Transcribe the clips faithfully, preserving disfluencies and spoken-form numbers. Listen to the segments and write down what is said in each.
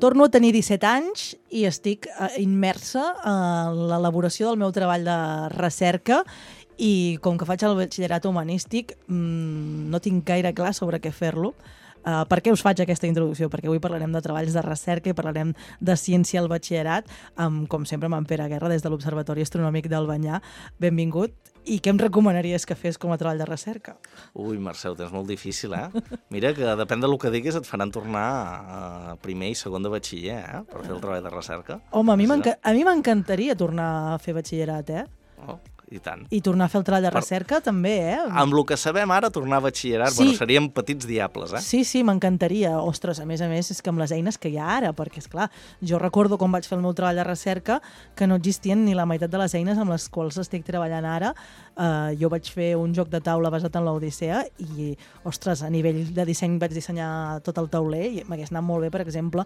torno a tenir disset anys i estic immersa en l'elaboració del meu treball de recerca i com que faig el batxillerat humanístic no tinc gaire clar sobre què fer-lo. Uh, per què us faig aquesta introducció? Perquè avui parlarem de treballs de recerca i parlarem de ciència al batxillerat, amb, com sempre, amb en Pere Guerra, des de l'Observatori Astronòmic d'Albanyà. Benvingut. I què em recomanaries que fes com a treball de recerca? Ui, Mercè, ho tens molt difícil, eh? Mira que depèn del que diguis et faran tornar a primer i segon de batxiller, eh? Per fer el treball de recerca. Home, a mi m'encantaria tornar a fer batxillerat, eh? Oh, i tant. I tornar a fer el treball de recerca per... també, eh? Amb el que sabem ara, tornar a batxillerat, sí. Bueno, seríem petits diables, eh? Sí, sí, m'encantaria. Ostres, a més a més, és que amb les eines que hi ha ara, perquè, esclar, jo recordo quan vaig fer el meu treball de recerca que no existien ni la meitat de les eines amb les quals estic treballant ara. Uh, jo vaig fer un joc de taula basat en l'Odissea i, ostres, a nivell de disseny vaig dissenyar tot el tauler i m'hagués anat molt bé, per exemple,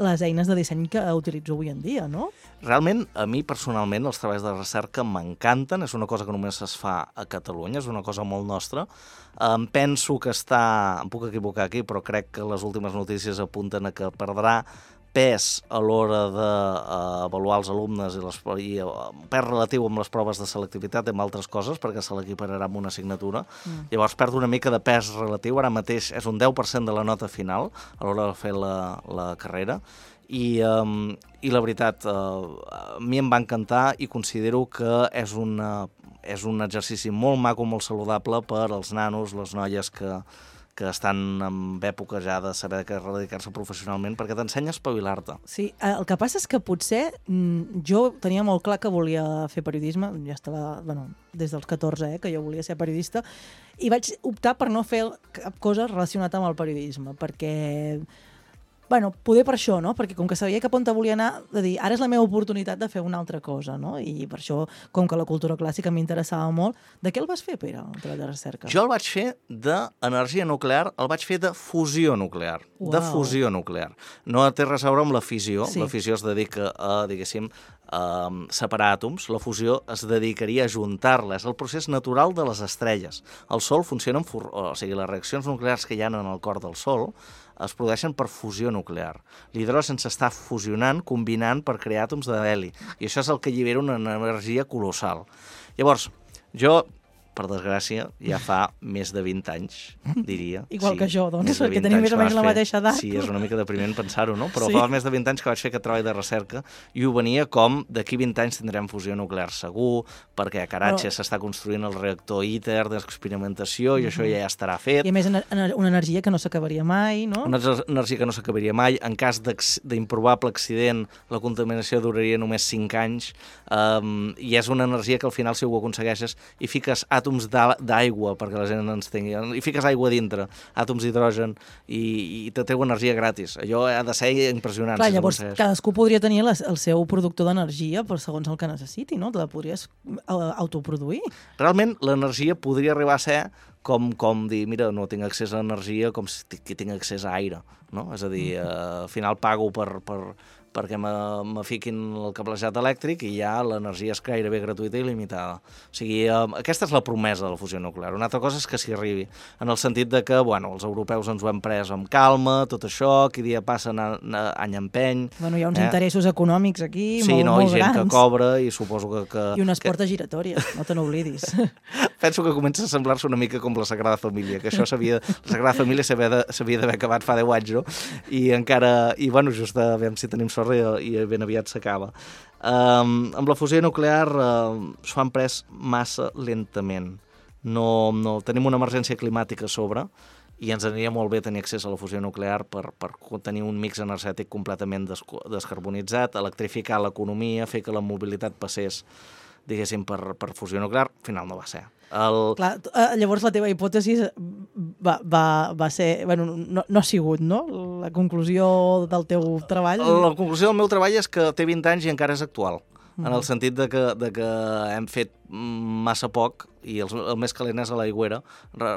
les eines de disseny que utilitzo avui en dia, no? Realment, a mi, personalment, els treballs de recerca m'encanten. És una cosa que només es fa a Catalunya, és una cosa molt nostra. Em penso que està... Em puc equivocar aquí, però crec que les últimes notícies apunten a que perdrà pes a l'hora d'avaluar els alumnes i, les, i pes relatiu amb les proves de selectivitat i amb altres coses, perquè se l'equipararà amb una assignatura. Mm. Llavors perd una mica de pes relatiu, ara mateix és un deu per cent de la nota final a l'hora de fer la, la carrera. I, um, i la veritat, uh, a mi em va encantar i considero que és, una, és un exercici molt maco, molt saludable per als nanos, les noies que, que estan en època ja de saber que dedicar-se professionalment, perquè t'ensenya a espavilar-te. Sí, el que passa és que potser jo tenia molt clar que volia fer periodisme, ja estava, bueno, des dels catorze, eh, que jo volia ser periodista, i vaig optar per no fer cap cosa relacionada amb el periodisme, perquè... Bueno, poder per això, no? Perquè com que sabia cap on volia anar, de dir, ara és la meva oportunitat de fer una altra cosa, no? I per això, com que la cultura clàssica m'interessava molt, de què el vas fer, Pere, el treball de recerca? Jo el vaig fer d'energia nuclear, el vaig fer de fusió nuclear, wow. de fusió nuclear. No té res a veure amb la fissió, sí. La fissió es dedica a, diguéssim, a separar àtoms, la fusió es dedicaria a juntar-la, és el procés natural de les estrelles. El Sol funciona amb... O sigui, les reaccions nuclears que hi ha en el cor del Sol es produeixen per fusió nuclear. L'hidrogen s'està fusionant, combinant per crear àtoms d'heli, i això és el que allibera una energia colossal. Llavors, jo, per desgràcia, ja fa més de vint anys, diria. Igual sí, que jo, doncs, perquè tenim més o menys la mateixa edat. Sí, és una mica depriment pensar-ho, no? Però sí. Fa més de vint anys que vaig fer aquest treball de recerca i ho venia com d'aquí vint anys tindrem fusió nuclear segur, perquè a Karachi Però... s'està construint el reactor ITER d'experimentació i uh-huh. això ja estarà fet. I a més, una energia que no s'acabaria mai, no? Una energia que no s'acabaria mai. En cas d'improbable accident, la contaminació duraria només cinc anys um, i és una energia que al final, si ho aconsegueixes, i fiques àtoms d'aigua, perquè la gent ens tingui, i fiques aigua dintre, àtoms d'hidrogen, i, i te treu energia gratis. Allò ha de ser impressionant. Clar, si llavors cadascú podria tenir les, el seu productor d'energia per segons el que necessiti, no? Te la podries autoproduir. Realment, l'energia podria arribar a ser com, com dir, mira, no tinc accés a energia com si tinc accés a aire, no? És a dir, eh, al final pago per... per perquè me, me fiquin el cablejat elèctric i ja l'energia és gairebé gratuïta i il·limitada. O sigui, eh, aquesta és la promesa de la fusió nuclear. Una altra cosa és que s'hi arribi, en el sentit de que, bueno, els europeus ens ho hem pres amb calma, tot això, qui dia passa any empeny... Bueno, hi ha uns eh? interessos econòmics aquí sí, molt, no, molt grans. Sí, no, i gent que cobra i suposo que... que I unes que... portes giratòries, no te n'oblidis. Penso que comença a semblar-se una mica com la Sagrada Família, que això s'havia... La Sagrada Família s'havia d'haver acabat fa deu anys, no? I encara... I, bueno, just a veure si tenim sort i, i ben aviat s'acaba. Um, amb la fusió nuclear uh, s'ho han pres massa lentament. No, no, tenim una emergència climàtica a sobre i ens aniria molt bé tenir accés a la fusió nuclear per, per tenir un mix energètic completament des, descarbonitzat, electrificar l'economia, fer que la mobilitat passés, diguéssim, per, per fusió nuclear. Al final no va ser. El... Clar, llavors la teva hipòtesi va, va, va ser... Bueno, no, no ha sigut, no? La conclusió del teu treball? La conclusió del meu treball és que té vint anys i encara és actual. Mm. En el sentit de que, de que hem fet massa poc i el, el més calent és a l'aigüera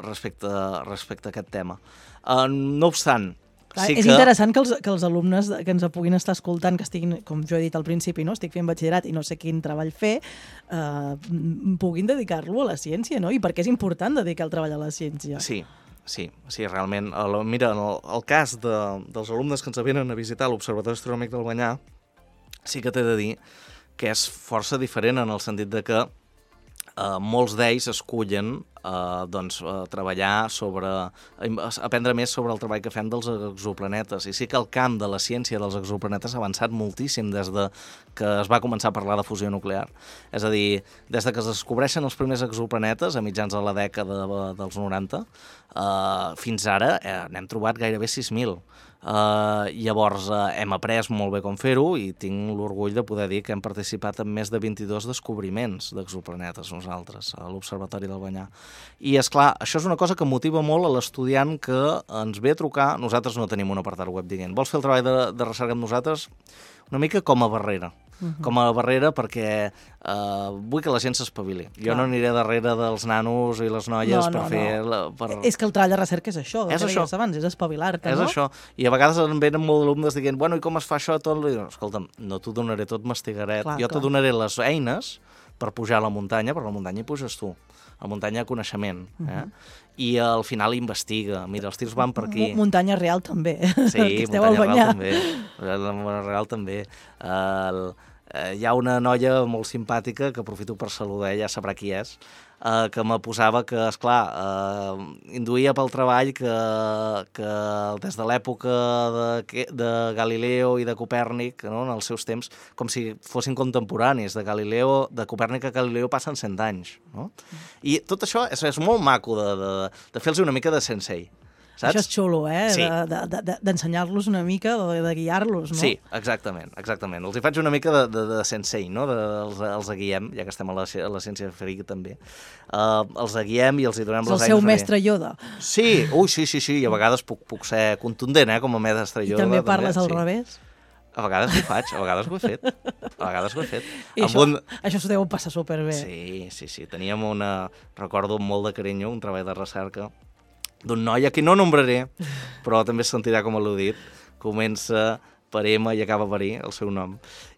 respecte, respecte a aquest tema. Uh, no obstant, Clar, sí és que... interessant que els, que els alumnes que ens puguin estar escoltant, que estiguin, com jo he dit al principi, no? Estic fent batxillerat i no sé quin treball fer, eh, puguin dedicar-lo a la ciència, no? I per què és important dedicar el treball a la ciència? Sí. sí, sí, realment. El, mira, el, el cas de, dels alumnes que ens venen a visitar l'Observatori Astronòmic del Banyà, sí que t'he de dir que és força diferent en el sentit de que eh, molts d'ells escullen eh, doncs, eh, treballar sobre, aprendre més sobre el treball que fem dels exoplanetes. I sí que el camp de la ciència dels exoplanetes ha avançat moltíssim des de que es va començar a parlar de fusió nuclear. És a dir, des de que es descobreixen els primers exoplanetes, a mitjans de la dècada de, dels noranta, eh, fins ara eh, n'hem trobat gairebé sis mil. Uh, llavors uh, hem après molt bé com fer-ho i tinc l'orgull de poder dir que hem participat en més de vint-i-dos descobriments d'exoplanetes nosaltres a l'Observatori del Banyà. I és clar, això és una cosa que motiva molt a l'estudiant que ens ve a trucar. Nosaltres no tenim un apartat web dient vols fer el treball de, de recerca amb nosaltres? Una mica com a barrera. Uh-huh. Com a barrera perquè uh, vull que la gent s'espavili. Jo Clar. no aniré darrere dels nanos i les noies no, per no, fer... No. La, per... És que el treball de recerca és això, és que això. Abans, és espavilar-te, és no? És això. I a vegades em venen molts alumnes dient bueno, i com es fa això? Tot? Escolta'm, no t'ho donaré tot mastigaret. Clar, jo clar. te donaré les eines per pujar a la muntanya, però a la muntanya hi puges tu. A la muntanya hi ha coneixement. Eh? Uh-huh. I al final investiga. Mira, els tirs van per aquí. Muntanya real també. Sí, muntanya real també. Muntanya real també. El... Uh, hi ha una noia molt simpàtica, que aprofito per saludar, ja sabrà qui és, uh, que me posava que, esclar, uh, induïa pel treball que, que des de l'època de, de Galileo i de Copèrnic, no, en els seus temps, com si fossin contemporanis, de Galileo, de Copèrnic a Galileo passen cent anys. No? I tot això és, és molt maco de, de, de fer-los una mica de sensei. Saps? Això és xulo, eh? Sí. D'ensenyar-los una mica, de, de guiar-los, no? Sí, exactament, exactament. Els hi faig una mica de, de, de sensei, no? De, els, els guiem, ja que estem a la, a la ciència ferica també. Uh, els guiem i els hi donem les eines. És el seu mestre Yoda. Sí, ui, sí, sí, sí, i a vegades puc, puc ser contundent, eh? Com a mestre Yoda. I també parles també, al sí. revés? A vegades ho faig, a vegades ho he fet. A vegades ho he fet. I això, un... això s'ho deu passar superbé. Sí, sí, sí. Teníem una... Recordo amb molt de carinyo, un treball de recerca d'un noi a qui no nombraré, però també es sentirà com al·ludit. Comença per M i acaba per I, el seu nom.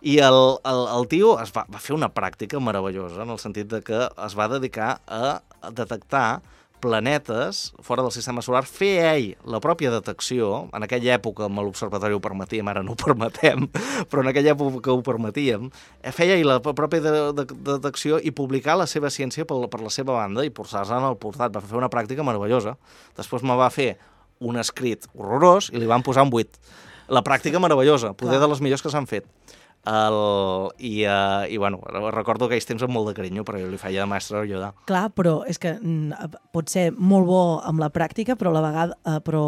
I el, el, el tio es va, va fer una pràctica meravellosa, en el sentit de que es va dedicar a detectar planetes fora del sistema solar, fer ell la pròpia detecció. En aquella època amb l'observatori ho permetíem, ara no ho permetem, però en aquella època ho permetíem. Feia ell la pròpia de, de, de detecció i publicar la seva ciència per, per la seva banda i posar-se en el portat. Va fer una pràctica meravellosa. Després me va fer un escrit horrorós i li van posar un vuit. La pràctica meravellosa, poder Clar. de les millors que s'han fet. El, i, uh, i bueno, recordo aquells temps amb molt de carinyo, però jo li feia de mestre Yoda. Clar, però és que mm, pot ser molt bo amb la pràctica, però a la vegada, uh, però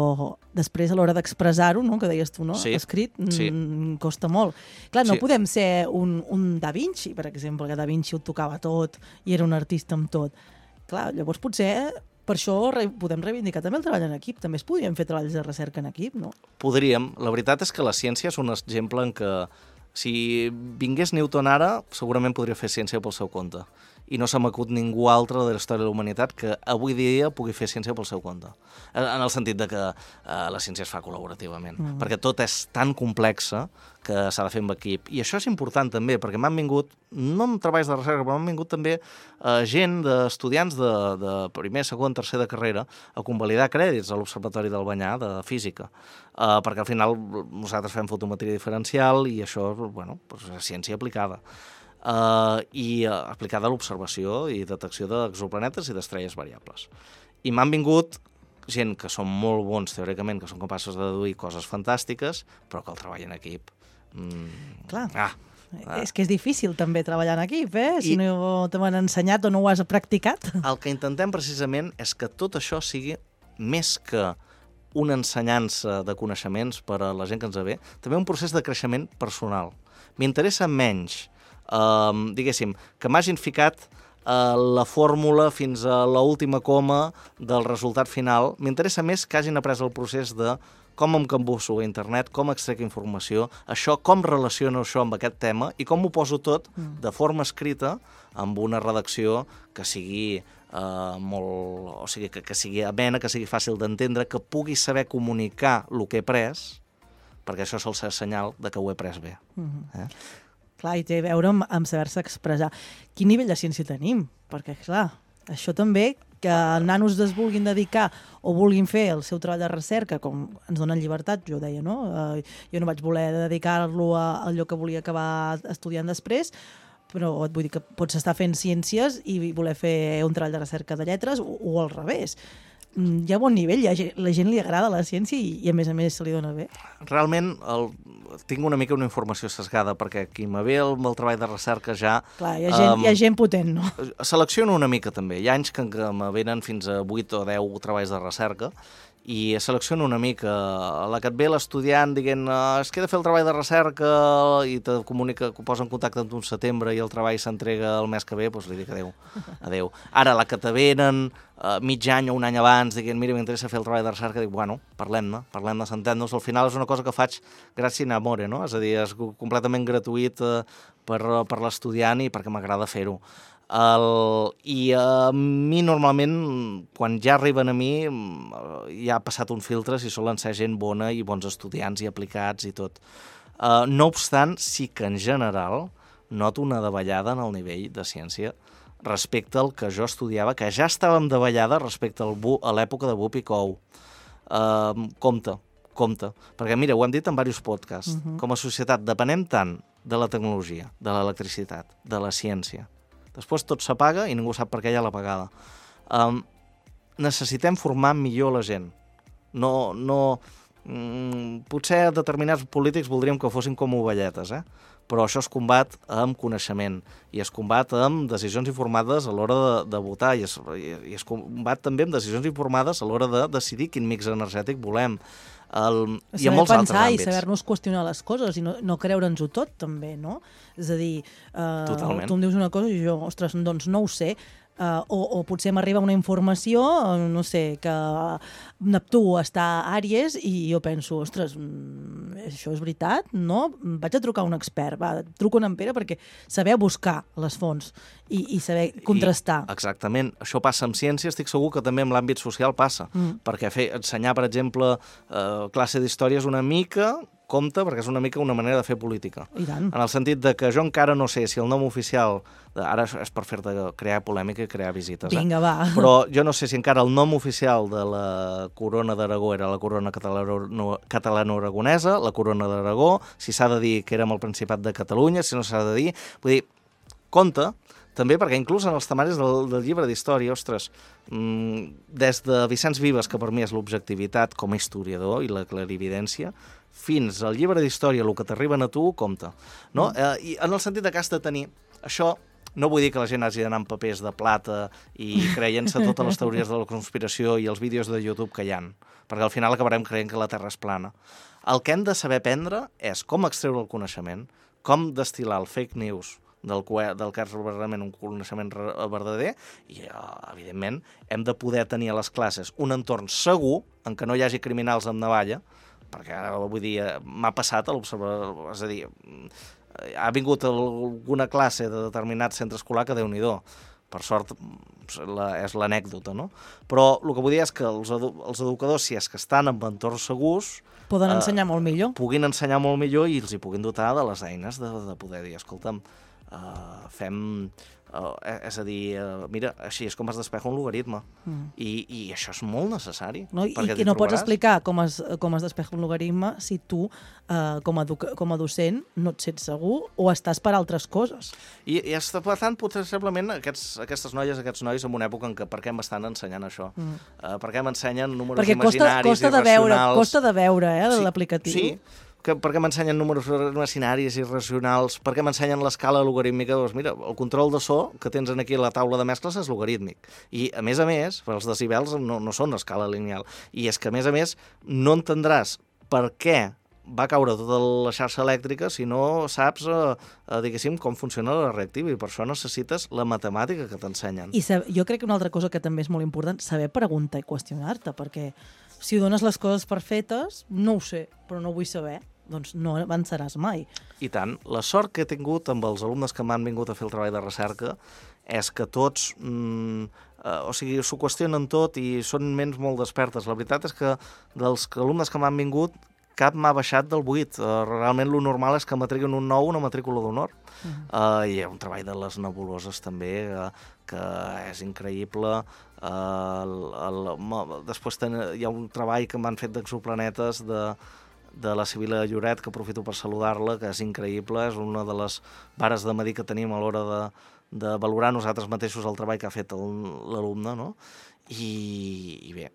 després a l'hora d'expressar-ho, no? Que deies tu, no? Sí, escrit, sí. Mm, costa molt. Clar, no sí. podem ser un, un Da Vinci, per exemple, que Da Vinci ho tocava tot i era un artista amb tot. Clar, llavors potser... Per això re podem reivindicar també el treball en equip. També es podrien fer treballs de recerca en equip, no? Podríem. La veritat és que la ciència és un exemple en què si vingués Newton ara, segurament podria fer ciència pel seu compte. I no se m'acut ningú altre de la història de la humanitat que avui dia pugui fer ciència pel seu compte. En el sentit de que eh, la ciència es fa col·laborativament. Mm. Perquè tot és tan complexa que s'ha de fer amb equip. I això és important també, perquè m'han vingut, no amb treballs de recerca, però m'han vingut també eh, gent d'estudiants de, de primer, segon, tercer de carrera a convalidar crèdits a l'Observatori del Banyà de física. Eh, perquè al final nosaltres fem fotometria diferencial i això bueno, doncs és ciència aplicada. Uh, i uh, aplicada a l'observació i detecció d'exoplanetes i d'estrelles variables. I m'han vingut gent que són molt bons teòricament, que són capaços de deduir coses fantàstiques, però que el treball en equip... Mm, Clar. Ah, ah. És que és difícil també treballar en equip, eh? Si I no te m'han ensenyat o no ho has practicat. El que intentem precisament és que tot això sigui més que una ensenyança de coneixements per a la gent que ens ve, també un procés de creixement personal. M'interessa menys Um, diguéssim, que m'hagin ficat uh, la fórmula fins a l'última coma del resultat final. M'interessa més que hagin après el procés de com em cambusso a internet, com extrec informació, això, com relaciono això amb aquest tema i com ho poso tot de forma escrita amb una redacció que sigui uh, molt... o sigui, que, que sigui amena, que sigui fàcil d'entendre, que pugui saber comunicar el que he pres, perquè això sol ser senyal de que ho he pres bé. Mm-hmm. eh? Clar, i té a veure amb, amb saber-se expressar. Quin nivell de ciència tenim? Perquè, clar, això també que nanos es vulguin dedicar o vulguin fer el seu treball de recerca, com ens donen llibertat, jo deia, no? Uh, jo no vaig voler dedicar-lo a allò que volia acabar estudiant després, però et vull dir que pots estar fent ciències i voler fer un treball de recerca de lletres o, o al revés. Hi ha bon nivell, hi ha gent, la gent li agrada la ciència i, i a més a més se li dona bé. Realment el, tinc una mica una informació sesgada, perquè qui me ve el, el treball de recerca ja... Clar, hi ha gent, um, hi ha gent potent, no? Selecciono una mica també. Hi ha anys que, que me venen fins a vuit o deu treballs de recerca i selecciono una mica. A la que et ve l'estudiant dient uh, es queda fer el treball de recerca i te comunica, que posa en contacte amb tu un setembre i el treball s'entrega el mes que ve, doncs li dic adeu. adeu. Ara, la que te venen uh, mig any o un any abans dient mira, m'interessa fer el treball de recerca, dic, bueno, parlem-ne, parlem-ne, s'entén-nos. Al final és una cosa que faig gràcies a amore, no? És a dir, és completament gratuït uh, per, per l'estudiant i perquè m'agrada fer-ho. El, I a mi normalment, quan ja arriben a mi, ja ha passat un filtre si solen ser gent bona i bons estudiants i aplicats i tot. Uh, no obstant, sí que en general noto una davallada en el nivell de ciència respecte al que jo estudiava, que ja estàvem davallada respecte al bu, a l'època de Bup i Cou. Uh, compte, compte. Perquè mira, ho hem dit en diversos podcasts. Uh-huh. Com a societat depenem tant de la tecnologia, de l'electricitat, de la ciència. Després tot s'apaga i ningú sap per què hi ha l'apagada. Um, necessitem formar millor la gent. No, no, mm, potser determinats polítics voldríem que fossin com ovelletes, eh? Però això es combat amb coneixement i es combat amb decisions informades a l'hora de, de votar i es, i es combat també amb decisions informades a l'hora de decidir quin mix energètic volem. El, i en molts altres àmbits. I saber-nos qüestionar les coses i no, no creure'ns-ho tot, també, no? És a dir, uh, tu em dius una cosa i jo, ostres, doncs no ho sé. Uh, o, o potser m'arriba una informació, no sé, que Neptú està a Àries i jo penso, ostres, això és veritat, no? Vaig a trucar a un expert, va, truco en Pere perquè saber buscar les fonts i, i saber contrastar. I, exactament, això passa amb ciència, estic segur que també en l'àmbit social passa, mm. perquè fer, ensenyar, per exemple, uh, classe d'història és una mica... compte, perquè és una mica una manera de fer política. I tant. En el sentit de que jo encara no sé si el nom oficial... Ara és per fer-te crear polèmica i crear visites. Vinga, eh? va. Però jo no sé si encara el nom oficial de la corona d'Aragó era la corona catalano-aragonesa, la corona d'Aragó, si s'ha de dir que érem el Principat de Catalunya, si no s'ha de dir... Vull dir, compte, també perquè inclús en els temaris del, del llibre d'història, ostres, mmm, des de Vicenç Vives, que per mi és l'objectivitat com a historiador i la clarividència, fins al llibre d'història, el que t'arriben a tu, compte. No? Mm. Eh, I en el sentit que has de tenir... Això no vull dir que la gent hagi d'anar amb papers de plata i creient-se totes les teories de la conspiració i els vídeos de YouTube que hi ha, perquè al final acabarem creient que la Terra és plana. El que hem de saber aprendre és com extreure el coneixement, com destil·lar el fake news del que, del que és realment un coneixement verdader i, evidentment, hem de poder tenir a les classes un entorn segur en què no hi hagi criminals amb navalla, perquè ara, vull dir, m'ha passat a l'observador, és a dir, ha vingut alguna classe de determinat centre escolar que Déu-n'hi-do. Per sort, la, és l'anècdota, no? Però el que vull dir és que els, edu els educadors, si és que estan en entorns segurs... Poden eh, ensenyar molt millor. Puguin ensenyar molt millor i els hi puguin dotar de les eines de, de poder dir, escolta'm, uh, fem... Uh, és a dir, uh, mira, així és com es despeja un logaritme. Mm. I, I això és molt necessari. No? I, i no pots explicar com es, com es despeja un logaritme si tu, uh, com, a com a docent, no et sents segur o estàs per altres coses. I, i està, per tant, possiblement aquests, aquestes noies, aquests nois, en una època en què per què m'estan ensenyant això? Mm. Uh, per què m'ensenyen números Perquè imaginaris costa, costa irracionals? De veure, costa de veure, eh, sí, l'aplicatiu. Sí, que, per què m'ensenyen números imaginaris i irracionals, per què m'ensenyen l'escala logarítmica, doncs mira, el control de so que tens aquí a la taula de mescles és logarítmic. I, a més a més, els decibels no, no són escala lineal. I és que, a més a més, no entendràs per què va caure tota la xarxa elèctrica si no saps, eh, eh, diguéssim, com funciona la reactiva, i per això necessites la matemàtica que t'ensenyen. I jo crec que una altra cosa que també és molt important, saber preguntar i qüestionar-te, perquè si dones les coses per fetes, no ho sé, però no vull saber, doncs no avançaràs mai. I tant. La sort que he tingut amb els alumnes que m'han vingut a fer el treball de recerca és que tots, mm, eh, o sigui, s'ho qüestionen tot i són ments molt despertes. La veritat és que dels alumnes que m'han vingut, cap m'ha baixat del vuit. Uh, realment lo normal és que matriculin un nou, una matrícula d'honor. Uh -huh. uh, I hi ha un treball de les nebuloses també, uh, que és increïble. Uh, el, el, després ten, hi ha un treball que m'han fet d'exoplanetes de, de la Sibil·la Lloret, que aprofito per saludar-la, que és increïble, és una de les vares de medir que tenim a l'hora de, de valorar nosaltres mateixos el treball que ha fet l'alumne, no? I, i bé,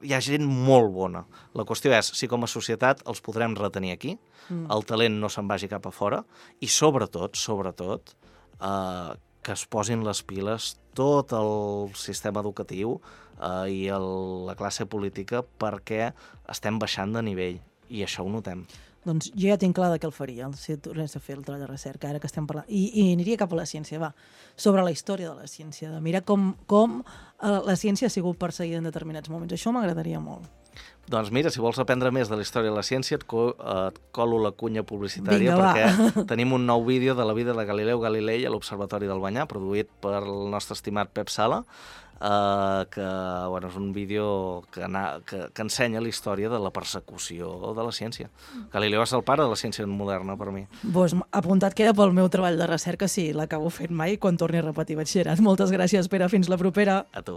hi ha gent molt bona. La qüestió és si com a societat els podrem retenir aquí, mm. el talent no se'n vagi cap a fora, i sobretot, sobretot, eh, que es posin les piles tot el sistema educatiu eh, i el, la classe política, perquè estem baixant de nivell, i això ho notem. Doncs jo ja tinc clar de què el faria, si tornés a fer el treball de recerca, ara que estem parlant. I, i aniria cap a la ciència, va, sobre la història de la ciència, de mirar com, com eh, la ciència ha sigut perseguida en determinats moments. Això m'agradaria molt. Doncs mira, si vols aprendre més de la història de la ciència, et, co et colo la cunya publicitària. Vinga, perquè tenim un nou vídeo de la vida de Galileu Galilei a l'Observatori del Banyà, produït per el nostre estimat Pep Sala, Uh, que bueno, és un vídeo que, na, que, que ensenya la història de la persecució de la ciència. Galileu és el pare de la ciència moderna, per mi. Pues, apuntat queda pel meu treball de recerca, si l'acabo fent mai, quan torni a repetir batxillerat. Moltes gràcies, Pere. Fins la propera. A tu.